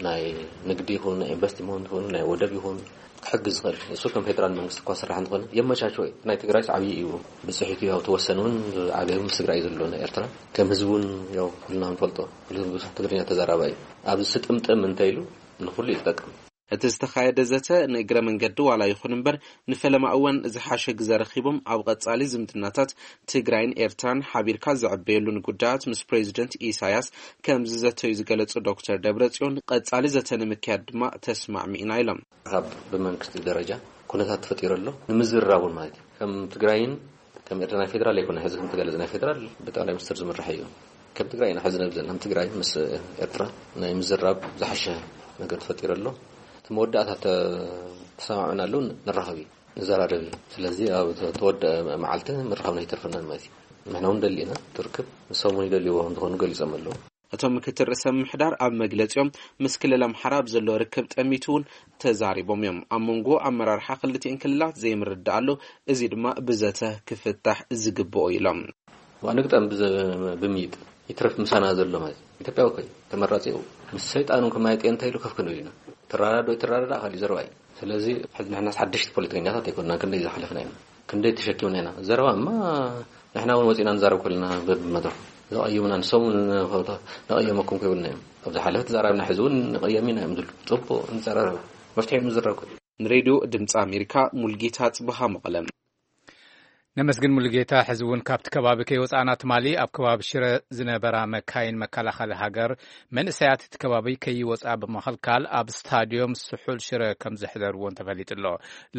ናይ ንግዲ ይኹን ናይ ኢንቨስትመንት ይኹን ናይ ወደብ ይኹን ክሕግዝ ዝኽእል እሱ ከም ፌደራል መንግስቲ እኳ ስራሕ እንተኾነ የመቻችዎ እዩ። ናይ ትግራይ ዓብዪ እዩ። ብፅሒቱ ያው ተወሰን እውን ዓገብ ምስ ትግራይ ዘሎ ናይ ኤርትራ ከም ህዝቢ እውን ያው ኩልና ንፈልጦ ኩሉ ህዝቢ ትግርኛ ተዛራባይ እዩ። ኣብዚ ስጥምጥም እንተይሉ ንኩሉ እዩ ዝጠቅም። እቲ ዝተኻየደ ዘተ ንእግረ መንገዲ ዋላ ይኹን እምበር ንፈለማ እዋን ዝሓሸ ግዘ ረኺቦም ኣብ ቐጻሊ ዝምድናታት ትግራይን ኤርትራን ሓቢርካ ዝዕበየሉን ጉዳያት ምስ ፕሬዚደንት ኢሳያስ ከም ዝዘተዩ ዝገለጹ ዶክተር ደብረጽዮን፣ ቐጻሊ ዘተ ንምክያድ ድማ ተስማዕሚእና ኢሎም። ካብ ብመንግስቲ ደረጃ ኩነታት ተፈጢሩ ኣሎ ንምዝራብ እውን ማለት እዩ። ከም ትግራይን ከም ኤርትራ ናይ ፌደራል ኣይኮነ ሕዚ ከም ተገለጸ ናይ ፌደራል ብጠቅላይ ሚኒስትር ዝምራሕ እዩ። ከም ትግራይ ኢና ሕዚ ነብዘን ከም ትግራይ ምስ ኤርትራ ናይ ምዝራብ ዝሓሸ ነገር ተፈጢሩ ኣሎ። እቲ መወዳእታ ተሰማምዕናሉ ንራኸብ እዩ ንዘራረብ እዩ። ስለዚ ኣብ ተወደአ መዓልቲ ምርኻብና ኣይተርፈናን ማለት እዩ። ንሕና እውን ደሊ ኢና ትርክብ ንሶም እውን ይደልይዎ ከም ዝኾኑ ገሊጾም ኣለዉ። እቶም ምክትል ርእሰ ምምሕዳር ኣብ መግለጺኦም ምስ ክልል ኣምሓራ ኣብ ዘሎ ርክብ ጠሚቱ እውን ተዛሪቦም እዮም። ኣብ መንጎ ኣመራርሓ ክልቲኤን ክልላት ዘይምርዳእ ኣሎ፣ እዚ ድማ ብዘተ ክፍታሕ ዝግብኦ ኢሎም። ንግጠም ብዘ- ብምይጥ ይትረፍ ምሳና ዘሎ ማለት ኢትዮጵያ እኮ እዩ ተመራጺ እዩ። ምስ ሰይጣን እውን ከማይጥ እንታይ ኢሉ ከፍ ክንብል ኢና። ትራዳዶ ይትራዳዳ ካሊእ ዘረባ እዩ። ስለዚ ሕዚ ንሕናስ ሓደሽቲ ፖለቲከኛታት ኣይኮንና ክንደይ ዝሓለፍና ኢና። ክንደይ ተሸኪምና ኢና ዘረባ እማ ንሕና እውን ወፂና ንዛረብ ከለና በብመድረኹ ዘቐየሙና ንሶም እውን ነቐየመኩም ከይብልና እዮም። ኣብ ዝሓለፈ ተዛራብና ሕዚ እውን ንቐየም ኢና እዮም ዝብሉ። ፅቡቕ ንፀራረብ መፍትሒ ምዝረብ ንሬድዮ ድምፂ ኣሜሪካ ሙልጌታ ጽብሃ መቐለ። ነመስግን ሙሉጌታ። ሕዚ እውን ካብቲ ከባቢ ከይወፃእና ትማሊ ኣብ ከባቢ ሽረ ዝነበራ መካይን መከላኸሊ ሃገር መንእሰያት እቲ ከባቢ ከይወፃ ብምኽልካል ኣብ ስታድዮም ስሑል ሽረ ከም ዘሕደርዎን ተፈሊጡ ኣሎ።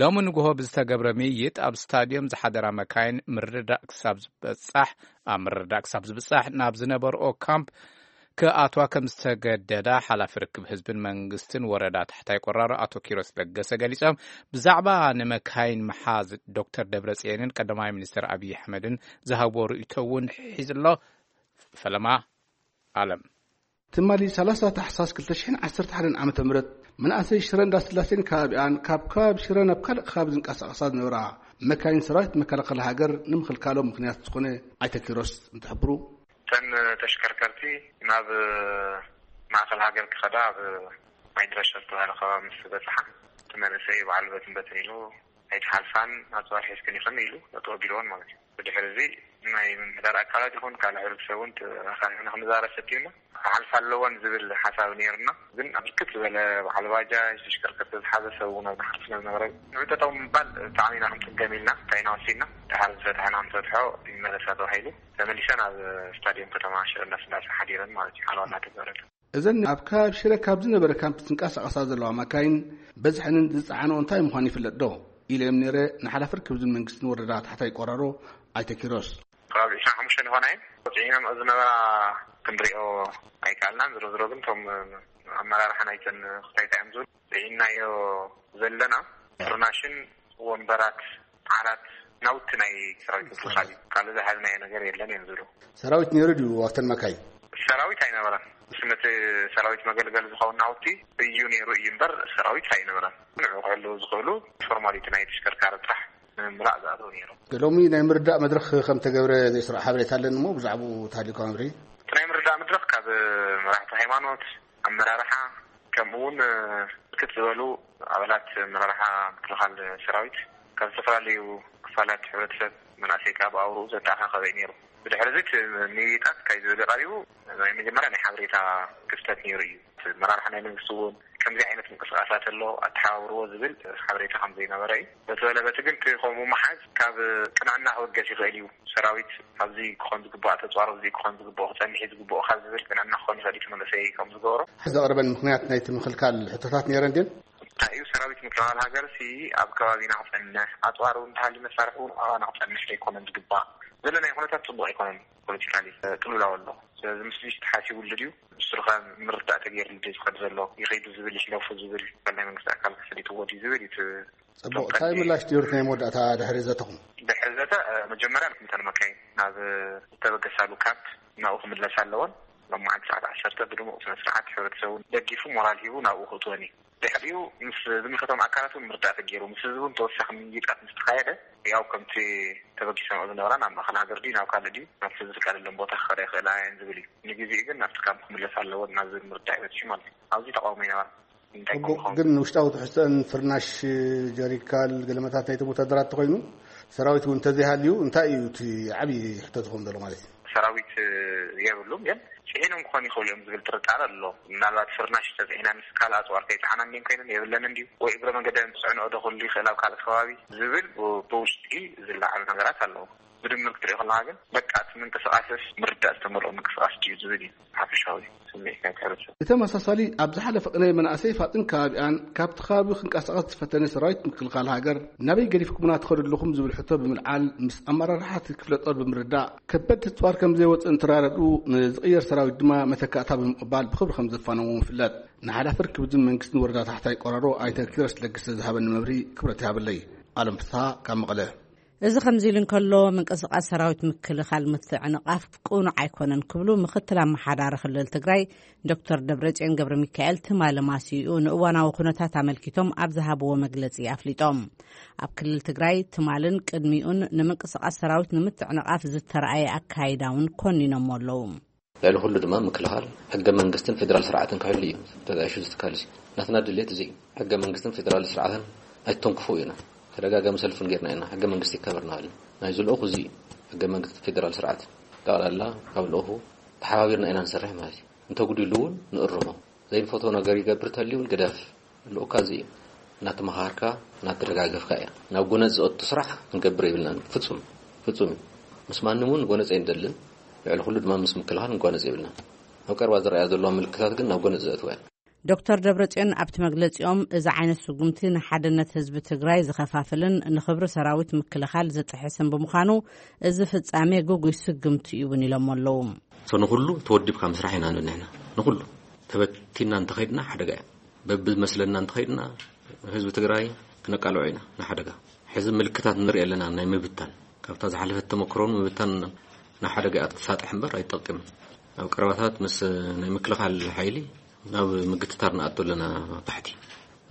ሎሚ ንግሆ ብዝተገብረ ምይይጥ ኣብ ስታድዮም ዝሓደራ መካይን ምርዳእ ክሳብ ዝበፃሕ ኣብ ምርዳእ ክሳብ ዝበፃሕ ናብ ዝነበርኦ ካምፕ ክኣትዋ ከም ዝተገደዳ ሓላፊ ርክብ ህዝብን መንግስትን ወረዳ ታሕታይ ቆራሮ ኣቶ ኪሮስ ለገሰ ገሊጾም። ብዛዕባ ንመካይን ምሓዝ ዶክተር ደብረጽዮንን ቀዳማይ ሚኒስትር ኣብይ ኣሕመድን ዝሃብዎ ርእይቶ እውን ሒዝሎ። ፈለማ ኣለም። ትማሊ ሰላሳ ታሕሳስ ክልተ ሽሕን ዓሰርተ ሓደን ዓመተ ምህረት መናእሰይ ሽረ እንዳስላሴን ከባቢኣን ካብ ከባቢ ሽረ ናብ ካልእ ከባቢ ዝንቀሳቐሳ ዝነበራ መካይን ሰራዊት መከላኸሊ ሃገር ንምኽልካሎም ምኽንያት ዝኾነ ኣይተ ኪሮስ እንትሕብሩ፣ እተን ተሽከርከርቲ ናብ ማእኸል ሃገር ክኸዳ ኣብ ማይድረሸር ዝተባህለ ከባቢ ምስ በፅሓ፣ እቲ መንእሰይ በዓል በትን በትን ኢሉ ኣይትሓልፋን፣ ኣፅዋር ሒዝክን ኢኽን ኢሉ ጠጠው ኣቢልወን ማለት እዩ። ብድሕሪ እዚ ናይ ምምሕዳር ኣካላት ይኹን ካልእ ሕብረተሰብ እውን ተራኻቢብና ክንዛረብ ፈቲና፣ ክሓልፋ ኣለወን ዝብል ሓሳብ ነይርና። ግን ኣብ ብርክት ዝበለ በዓል ባጃጅ፣ ተሽከርከርቲ ዝሓዘ ሰብ እውን ኣብ ዝሓልፍ ስለ ዝነበረ፣ ንዕጠጠው ምባል ብጣዕሚ ኢና ክንፅገም ኢልና፣ እንታይ ኢና ወሲድና፣ ድሓር ዝፈትሐና ንፈትሖ ይመለሳ ተባሂሉ ተመሊሰን ኣብ ስታዲየም ከተማ ሽረ እንዳስላሴ ሓዲረን ማለት እዩ። ሓለዋ እናተገበረለን። እዘን ኣብ ከባቢ ሽረ ካብ ዝነበረ ካምፕ ዝንቀሳቐሳ ዘለዋ መካይን በዝሐንን ዝጸዓንኦ እንታይ ምዃኑ ይፍለጥ ዶ? ኢለ እዮም ነይረ ንሓላፊ ርክብ ዝን መንግስትን ወረዳ ታሕታይ ቆራሮ ኣይተ ኪሮስ። ከባቢ ዕስራን ሓሙሽተን ይኾና እየን። ጽዒኖም ዝነበራ ክንሪኦ ኣይከኣልናን። ዝሮ ዝሮ ግን እቶም ኣመራርሓ ናይተን ክልተ እንታይ እዮም ዝብሉ፣ ጽዒናዮ ዘለና ፍርናሽን ወንበራት፣ ዓራት፣ ናውቲ ናይ ሰራዊት ምክልኻል እዩ። ካልእ ዝሓዝናዮ ነገር የለን እዮም ዝብሉ። ሰራዊት ነይሩ ድዩ ኣብተን መካይን? ሰራዊት ኣይነበረን። ምስ ነቲ ሰራዊት መገልገሊ ዝኸውን ናውቲ እዩ ነይሩ እዩ እምበር ሰራዊት ኣይነበረን። ንዕኡ ክሕልዉ ዝኽእሉ ፎርማሊቲ ናይ ተሽከርካሪ ጥራሕ ንምምላእ ዝኣተው ነይሮም። ሎሚ ናይ ምርዳእ መድረኽ ከም ተገብረ ዘይስራዕ ሓበሬታ ኣለኒ እሞ ብዛዕባኡ ተሃልዩካ መብርሂ? እቲ ናይ ምርዳእ መድረኽ ካብ መራሕቲ ሃይማኖት፣ ኣመራርሓ፣ ከምኡ እውን ብርክት ዝበሉ ኣባላት ኣመራርሓ ምክልኻል ሰራዊት ካብ ዝተፈላለዩ ክፋላት ሕብረተሰብ፣ መናእሰይ ከኣ ብኣውርኡ ዘተኣኻኸበ እዩ ነይሩ። ብድሕሪ እዚ እቲ ምይይጣት እንታይ ዝብል እዩ ቀሪቡ? ናይ መጀመርያ ናይ ሓበሬታ ክፍተት ነይሩ እዩ። እቲ ኣመራርሓ ናይ መንግስቲ እውን ከምዚ ዓይነት ምንቅስቃሳት ኣሎ፣ ኣተሓባብርዎ ዝብል ሓበሬታ ከም ዘይነበረ እዩ። በቲ በለ በቲ ግን እቲ ከምኡ ምሓዝ ካብ ቅንዕና ክብገስ ይኽእል እዩ። ሰራዊት ኣብዚ ክኾን ዝግባእ፣ ተፅዋር ኣብዚ ክኾን ዝግባኦ፣ ክፀንሕ እዩ ዝግባኦ ካብ ዝብል ቅንዕና ክኾን ይኽእል እዩ እቲ መንእሰይ ከም ዝገበሮ። ዘቕርበን ምኽንያት ናይቲ ምኽልካል ሕቶታት ነይረን ድየን? እንታይ እዩ ሰራዊት ምክልኻል ሃገር ሲ ኣብ ከባቢና ክፀንሕ፣ ኣፅዋር እውን እንተሃልዩ መሳርሒ እውን ኣባና ክፀንሕ ዘይኮነን ዝግባእ? ዘለናዮ ኩነታት ፅቡቕ ኣይኮነን። ፖለቲካሊ ቅልውላው ኣሎ። ስለዚ ምስዚ ተሓሲቡሉ ድዩ? ንሱ ኸ ምርዳእ ተገይሩሉ ድዩ ዝኸድ ዘሎ? ይኸይዱ ዝብል ይሕለፉ ዝብል ናይ መንግስቲ ኣካል ክሰዲትዎ ድዩ ዝብል እዩ እቲ ጽቡቕ። እንታይ ምላሽ ድዩ ናይ መወዳእታ ድሕሪ ዘተኹም? ድሕሪ ዘተ፣ እ፣ መጀመርያ ነተን መካይን ናብ ዝተበገሳሉ ካምፕ ናብኡ ክምለሳ ኣለወን። ሎማዓንቲ ሰዓት ዓሰርተ ብድሙቕ ስነ ስርዓት ሕብረተሰቡ ደጊፉ ሞራል ሂቡ ናብኡ ክእትወን እዩ። ድሕሪኡ ምስ ዝምልከቶም ኣካላት እውን ምርዳእ ተገይሩ፣ ምስ ህዝቢ እውን ተወሳኺ ምይይጣት ምስ ተኻየደ፣ ያው ከምቲ ተበጊሰንኦ ዝነበራ ናብ ማእኸል ሃገር ድዩ ናብ ካልእ ድዩ ናብቲ ዝፍቀደለን ቦታ ክኸዳ ይኽእላ እየን ዝብል እዩ። ንግዜኡ ግን ናብቲ ካምፕ ክምለሳ ኣለወን ናብ ዝብል ምርዳእ እዩ በጺሑ ማለት እዩ። ኣብዚ ተቃውሞ ይነበረ። እንታይ ጽቡቕ። ክኸውን? ግን ውሽጣዊ ትሕዝቶን ፍርናሽ፣ ጀሪካል፣ ገለመታት ናይቶም ወታደራት እንተኾይኑ፣ ሰራዊት እውን እንተዘይሃልዩ እንታይ እዩ እቲ ዓብዪ ሕቶ ዝኸውን ዘሎ ማለት እዩ? ሰራዊት የብሉም፣ ግን ጽዒኖም ክኾኑ ይኽእሉ እዮም ዝብል ጥርጣረ ኣሎ። ምናልባት ፍርናሽ ተጽዒና ምስ ካልእ ኣጽዋር ከይጸዓና እንድየን ኮይነን የብለንን ድዩ? ወይ እግረ መንገደን ዝጽዕንኦ ዶ ክህሉ ይኽእል ኣብ ካልእ ከባቢ ዝብል ብ-፣ ብውሽጢ ዝለዓሉ ነገራት ኣለዉ። ብድምር ክትሪኦ ከለኻ ግን በቃ እቲ ምንቅስቃስስ ምርዳእ ዝተመልኦ ምንቅስቃስ ድዩ ዝብል እዩ ሓፈሻዊ ስምዒት ናይቲ ሕብረተሰብ። ብተመሳሳሊ ኣብ ዝሓለፈ ቅነ መናእሰይ ፋጥን ከባቢኣን ካብቲ ከባቢ ክንቀሳቐስ ዝፈተነ ሰራዊት ምክልኻል ሃገር ናበይ ገዲፍኩምና ትኸዱ ኣለኹም ዝብል ሕቶ ብምልዓል ምስ ኣመራርሓ እቲ ክፍለ ጦር ብምርዳእ ከበድቲ ኣፅዋር ከም ዘይወፅእ እንትረዳድኡ ንዝቕየር ሰራዊት ድማ መተካእታ ብምቕባል ብኽብሪ ከም ዘፋነዎም ይፍለጥ። ንሓላፊ ርክብ ህዝብን መንግስትን ወረዳ ታሕታይ ቆራሮ ኣይተ ኪሮስ ለገሰ ዝሃበኒ መብርሂ ክብረት ይሃበለይ። ኣለም ፍስሃ ካብ መቐለ። እዚ ከምዚ ኢሉ እንከሎ፣ ምንቅስቓስ ሰራዊት ምክልኻል ምትዕንቓፍ ቅኑዕ ኣይኮነን ክብሉ ምኽትል ኣመሓዳሪ ክልል ትግራይ ዶክተር ደብረጽዮን ገብረ ሚካኤል ትማሊ ማሲኡ ንእዋናዊ ኩነታት ኣመልኪቶም ኣብ ዝሃብዎ መግለጺ ኣፍሊጦም። ኣብ ክልል ትግራይ ትማልን ቅድሚኡን ንምንቅስቓስ ሰራዊት ንምትዕንቓፍ ዝተረኣየ ኣካይዳ እውን ኮኒኖሞ ኣለዉ። ልዕሊ ኩሉ ድማ ምክልኻል ሕገ መንግስትን ፌደራል ስርዓትን ክሕሉ እዩ ተጣይሹ ዝትካል እዩ። ናትና ድሌት እዚ እዩ። ሕገ መንግስትን ፌደራል ስርዓትን ኣይተንክፉ ኢና። ተደጋጋሚ ሰልፍን ጌርና ኢና። ሕገ መንግስቲ ይከበር እናበልና። ናይ ዝልእኹ እዚ እዩ። ሕገ መንግስቲ ፌደራል ስርዓት ጠቕላላ ካብ ልእኹ ተሓባቢርና ኢና ንሰርሕ ማለት እዩ። እንተጉዲሉ እውን ንእርሞ። ዘይንፈትዎ ነገር ይገብር ተልዩ እውን ግደፍ። ልኡካ እዚ እዩ። እናተመኻኸርካ፣ እናተደጋገፍካ እያ። ናብ ጎነጽ ዘእቱ ስራሕ ክንገብር የብልናን። ፍጹም፣ ፍጹም እዩ። ምስ ማንም እውን ጎነጽ ኣይንደልን። ልዕሊ ኩሉ ድማ ምስ ምክልኻል ንጓነጽ የብልናን። ኣብ ቀረባ ዝረኣያ ዘለዋ ምልክታት ግን ናብ ጎነጽ ዘእትዋ እየን። ዶክተር ደብረጽዮን ኣብቲ መግለጺኦም፣ እዚ ዓይነት ስጉምቲ ንሓድነት ህዝቢ ትግራይ ዝኸፋፍልን ንኽብሪ ሰራዊት ምክልኻል ዝጥሕስን ብምዃኑ፣ እዚ ፍጻሜ ግጉይ ስግምቲ እዩ እውን ኢሎም ኣለዉ። ንኹሉ ተወዲብካ ምስራሕ ኢና ንብል ንሕና። ንኹሉ ተበቲና እንተኸይድና ሓደጋ እዩ። በብዝመስለና እንተኸይድና ህዝቢ ትግራይ ክነቃልዖ ኢና ንሓደጋ። ሕዚ ምልክታት ንርኢ ኣለና ናይ ምብታን። ካብታ ዝሓለፈት ተመክሮን ምብታን ንሓደጋ እያ ትሳጥሕ እምበር ኣይትጠቅምን። ኣብ ቀረባታት ምስ ናይ ምክልኻል ሓይሊ ናብ ምግትታር ንኣቶ ኣለና። ታሕቲ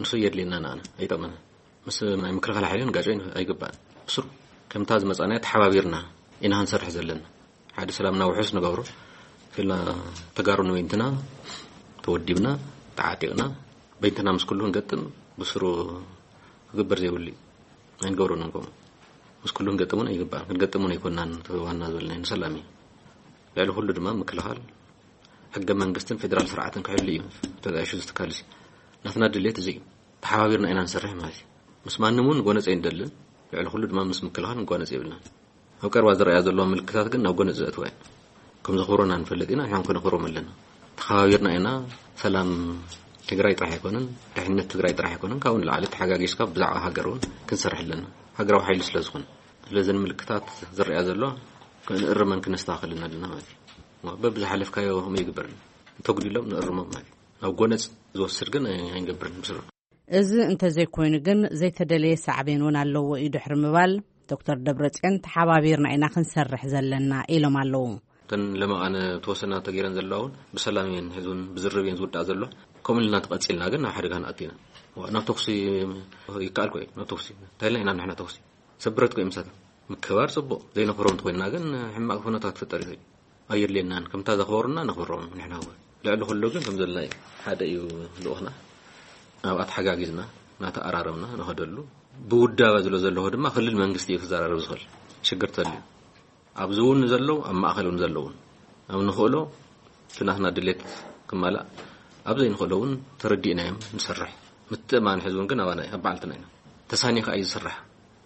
ንሱ የድልየና ንኣና ኣይጠቕመና። ምስ ናይ ምክልኻል ሓይልን ጋጨ ኣይግባእን። ብስሩ ከምታ ዝመፃናዮ ተሓባቢርና ኢና ክንሰርሕ ዘለና። ሓደ ሰላምና ውሑስ ንገብሮ ክልና ተጋሩ ንበይንትና ተወዲብና ተዓጢቕና በይንትና ምስ ኩሉ ክንገጥም ብስሩ ክግበር ዘይብሉ እዩ። ኣይንገብሮን እንኮም ምስ ኩሉ ክንገጥም እውን ኣይግባእን። ክንገጥም እውን ኣይኮናን። ዋና ዝበልና ንሰላም እዩ። ልዕሊ ኩሉ ድማ ምክልኻል ሕገ መንግስትን ፌደራል ስርዓትን ክሕሉ እዩ። ተጣይሹ ዝትካል እዚ ናትና ድሌት እዚ እዩ። ተሓባቢርና ኢና ንሰርሕ ማለት እዩ። ምስ ማንም እውን ጎነፅ ኣይንደልን። ልዕሊ ኩሉ ድማ ምስ ምክልኻል ንጓነፅ የብልናን። ኣብ ቀርባ ዝረኣያ ዘለዋ ምልክታት ግን ናብ ጎነፅ ዘእትዋ እየን። ከም ዘኽብሮና ንፈልጥ ኢና። ንሕና ከነኽብሮም ኣለና። ተኸባቢርና ኢና። ሰላም ትግራይ ጥራሕ ኣይኮነን፣ ድሕነት ትግራይ ጥራሕ ኣይኮነን፣ ካብኡ ንላዕሊ ተሓጋጊዝካ ብዛዕባ ሃገር እውን ክንሰርሕ ኣለና። ሃገራዊ ሓይሊ ስለ ዝኾነ ስለዘን ምልክታት ዝረኣያ ዘሎ ክንእርመን ክነስተኻኽልን ኣለና ማለት እዩ። በብዝሓለፍካዮ ከምኡ ይግበርና። እንተጉዲሎም ንእርሞም ማለት እዩ። ናብ ጎነፅ ዝወስድ ግን ኣይንገብርን ብስሩ። እዚ እንተዘይኮይኑ ግን ዘይተደለየ ሳዕቤን እውን ኣለዎ እዩ ድሕሪ ምባል፣ ዶክተር ደብረፅዮን ተሓባቢርና ኢና ክንሰርሕ ዘለና ኢሎም ኣለዉ። እተን ለመቓን ተወሰና ተገይረን ዘለዋ እውን ብሰላም እየን ሕዚ እውን ብዝርብ እየን ዝውዳእ ዘሎ። ከምኡ ኢልና ተቐፂልና ግን ናብ ሓደጋ ንኣቱ ኢና። ናብ ተኩሲ ይከኣል ኮ እዩ። ናብ ተኩሲ እንታይ ኢልና ኢና ንሕና ተኩሲ ሰብ ብረት ኮ ምሳት ምክባር ፅቡቕ ዘይነኽብሮም እንተኮይንና ግን ሕማቕ ኩነታት ክፍጠር ይኽእል። ኣየድልየናን። ከምታ ዘኽበሩና ነኽብሮም ንሕና እውን። ልዕሊ ኩሉ ግን ከም ዘለና እዩ። ሓደ እዩ ልኡኽና። ኣብኣ ተሓጋጊዝና እናተኣራረምና ንኸደሉ ብውዳበ ዝሎ ዘለዎ ድማ ክልል መንግስቲ እዩ ክዘራረብ ዝኽእል። ሽግር ተልዩ ኣብዚ እውን ንዘለዉ ኣብ ማእኸል እውን ዘለውን ኣብ ንኽእሎ እቲ ናትና ድሌት ክማላእ ኣብ ዘይንኽእሎ እውን ተረዲእናዮም ንሰርሕ። ምትእማን ሕዚ እውን ግን ኣባና እዩ፣ ኣብ ባዕልትና ኢና። ተሳኒኻ እዩ ዝስራሕ።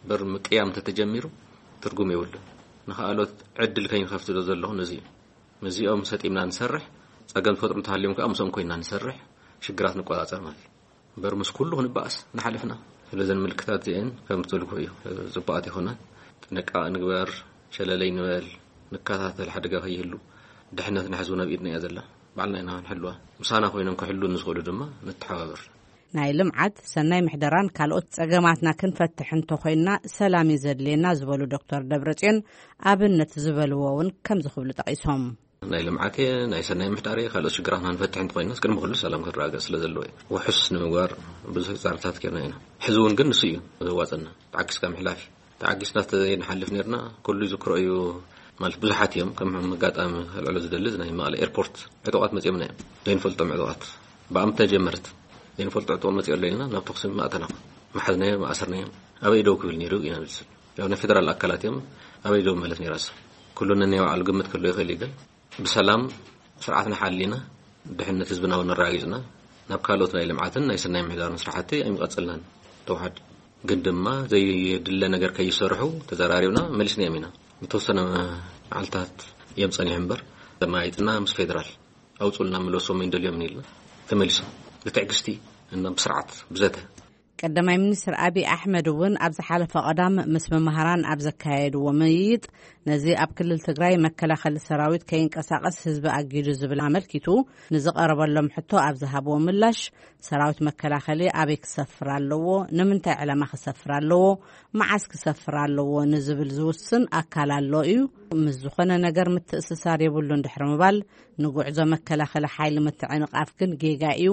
በር ምቅያም እንተተጀሚሩ ትርጉም የብሉን። ንኻልኦት ዕድል ከይንኸፍት ዶ ዘለኹ ነዚ እዩ። ምስዚኦም ሰጢምና ንሰርሕ። ፀገም ዝፈጥሩ እንተሃልዮም ከዓ ምስኦም ኮይና ንሰርሕ። ሽግራት ንቆፃፀር ማለት እዩ። በር ምስ ኩሉ ክንበኣስ ንሓለፍና። ስለዘን ምልክታት እዚአን ከም ትልኩ እዩ። ፅቡቃት ይኾና። ጥንቃ ንግበር። ሸለለይ ንበል። ንከታተል ሓደጋ ከይህሉ። ድሕነት ንሕዝቡ ናብ ኢድና እያ ዘላ። ባዕልና ኢና ንሕልዋ። ምሳና ኮይኖም ክሕሉ ንዝኽእሉ ድማ ንተሓባበር። ናይ ልምዓት፣ ሰናይ ምሕደራን ካልኦት ጸገማትና ክንፈትሕ እንተኾይንና ሰላም እዩ ዘድልየና ዝበሉ ዶክተር ደብረጽዮን፣ ኣብነት ዝበልዎ እውን ከምዚ ክብሉ ጠቒሶም። ናይ ልምዓት እየ፣ ናይ ሰናይ ምሕዳር እየ፣ ካልኦት ሽግራትና ንፈትሕ እንተኾይንና ቅድሚ ኩሉ ሰላም ክረጋገጽ ስለ ዘለዎ እዩ። ውሑስ ንምግባር ብዙሕ ጻዕርታት ጌርና ኢና። ሕዚ እውን ግን ንሱ እዩ ዘዋጸና፣ ተዓጊስካ ምሕላፍ እዩ። ተዓጊስና ተዘይንሓልፍ ነርና ኩሉ ይዝክሮ እዩ። ማለት ብዙሓት እዮም ከም ኣጋጣሚ ከልዕሎ ዝደሊ ናይ መቐለ ኤርፖርት ዕጡቓት መፅኦምና እዮም። ዘይንፈልጦም ዕጡቓት ብኣምተ ጀመረት ዘይንፈልጦ ዕጡቕ መፅኦ ኣሎ ኢልና ናብ ተኩሲ ማእተና። መሓዝናዮ ማእሰርናዮ። ኣበይ ደው ክብል ነይሩ ኢና ንብል። ያው ናይ ፌደራል ኣካላት እዮም። ኣበይ ደው ማለት ነይራስ ኩሉ ነናይ ባዕሉ ግምት ክህልዎ ይኽእል እዩ። ግን ብሰላም ስርዓትና ሓሊና ድሕነት ህዝብና እውን ኣረጋጊፅና ናብ ካልኦት ናይ ልምዓትን ናይ ሰናይ ምሕዳርን ስራሕቲ ኣይምቐፅልናን። ተውሓድ ግን ድማ ዘይድለ ነገር ከይሰርሑ ተዘራሪብና መሊስናዮም ኢና። ዝተወሰነ መዓልታት እዮም ፀኒሑ እምበር ተማይጥና ምስ ፌደራል ኣውፁልና ምለሶም ይንደልዮም ኢልና ተመሊሶም ብትዕግስቲ እና ብስርዓት ብዘተ። ቀዳማይ ሚኒስትር ኣብይ ኣሕመድ እውን ኣብ ዝሓለፈ ቀዳም ምስ መምሃራን ኣብ ዘካየድዎ ምይይጥ፣ ነዚ ኣብ ክልል ትግራይ መከላኸሊ ሰራዊት ከይንቀሳቐስ ህዝቢ ኣጊዱ ዝብል ኣመልኪቱ ንዝቐረበሎም ሕቶ ኣብ ዝሃብዎ ምላሽ፣ ሰራዊት መከላኸሊ ኣበይ ክሰፍር ኣለዎ፣ ንምንታይ ዕላማ ክሰፍር ኣለዎ፣ መዓስ ክሰፍር ኣለዎ ንዝብል ዝውስን ኣካል ኣሎ እዩ። ምስ ዝኾነ ነገር ምትእስሳር የብሉን ድሕሪ ምባል፣ ንጉዕዞ መከላኸሊ ሓይሊ ምትዕንቓፍ ግን ጌጋ እዩ።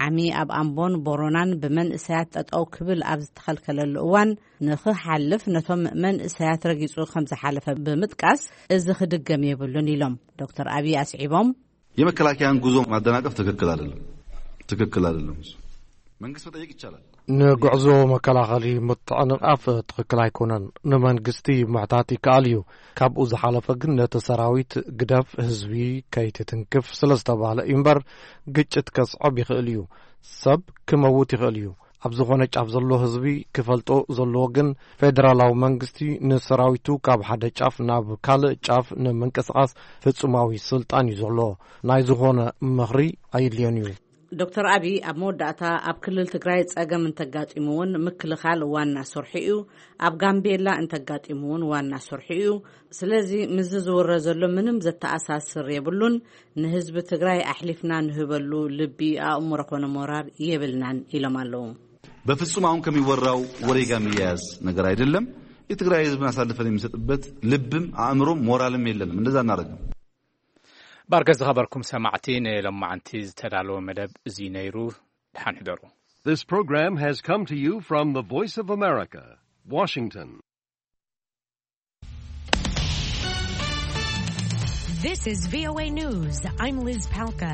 ዓሚ ኣብ ኣምቦን ቦሮናን ብመንእሰያት ጠጠው ክብል ኣብ ዝተኸልከለሉ እዋን፣ ንኽሓልፍ ነቶም መንእሰያት ረጊጹ ከም ዝሓለፈ ብምጥቃስ፣ እዚ ክድገም የብሉን ኢሎም ዶክተር ኣብይ ኣስዒቦም። የመከላከያን ጉዞ ማደናቀፍ ትክክል አይደለም። ትክክል አይደለም። እሱ መንግስት መጠየቅ ይቻላል። ንጉዕዞ መከላኸሊ ምትዕንቓፍ ትኽክል ኣይኮነን። ንመንግስቲ ምሕታት ይከኣል እዩ። ካብኡ ዝሓለፈ ግን ነቲ ሰራዊት ግደፍ፣ ህዝቢ ከይትትንክፍ ስለ ዝተባህለ እዩ እምበር፣ ግጭት ከስዕብ ይኽእል እዩ። ሰብ ክመውት ይኽእል እዩ። ኣብ ዝኾነ ጫፍ ዘሎ ህዝቢ ክፈልጦ ዘለዎ ግን፣ ፌደራላዊ መንግስቲ ንሰራዊቱ ካብ ሓደ ጫፍ ናብ ካልእ ጫፍ ንምንቅስቓስ ፍጹማዊ ስልጣን እዩ ዘሎ። ናይ ዝኾነ ምኽሪ ኣይድልዮን እዩ። ዶክተር ኣብይ ኣብ መወዳእታ፣ ኣብ ክልል ትግራይ ጸገም እንተጋጢሙ እውን ምክልኻል ዋና ስርሑ እዩ፣ ኣብ ጋምቤላ እንተጋጢሙ እውን ዋና ስርሑ እዩ። ስለዚ ምስዚ ዝውረ ዘሎ ምንም ዘተኣሳስር የብሉን። ንህዝቢ ትግራይ ኣሕሊፍና ንህበሉ ልቢ፣ ኣእምሮ ኮነ ሞራር የብልናን ኢሎም ኣለዉ። በፍጹም አሁን ከሚወራው ወሬ ጋር የሚያያዝ ነገር አይደለም። የትግራይ ህዝብን አሳልፈን የሚሰጥበት ልብም አእምሮም ሞራልም የለንም። እንደዛ እናደረግም ባርከ ዝኸበርኩም ሰማዕቲ፣ ንሎማዓንቲ ዝተዳለወ መደብ እዚ ነይሩ። ደሓን ሕደሩ። This program has come to you from the Voice of America, Washington. This is V O A News. I'm Liz Palka.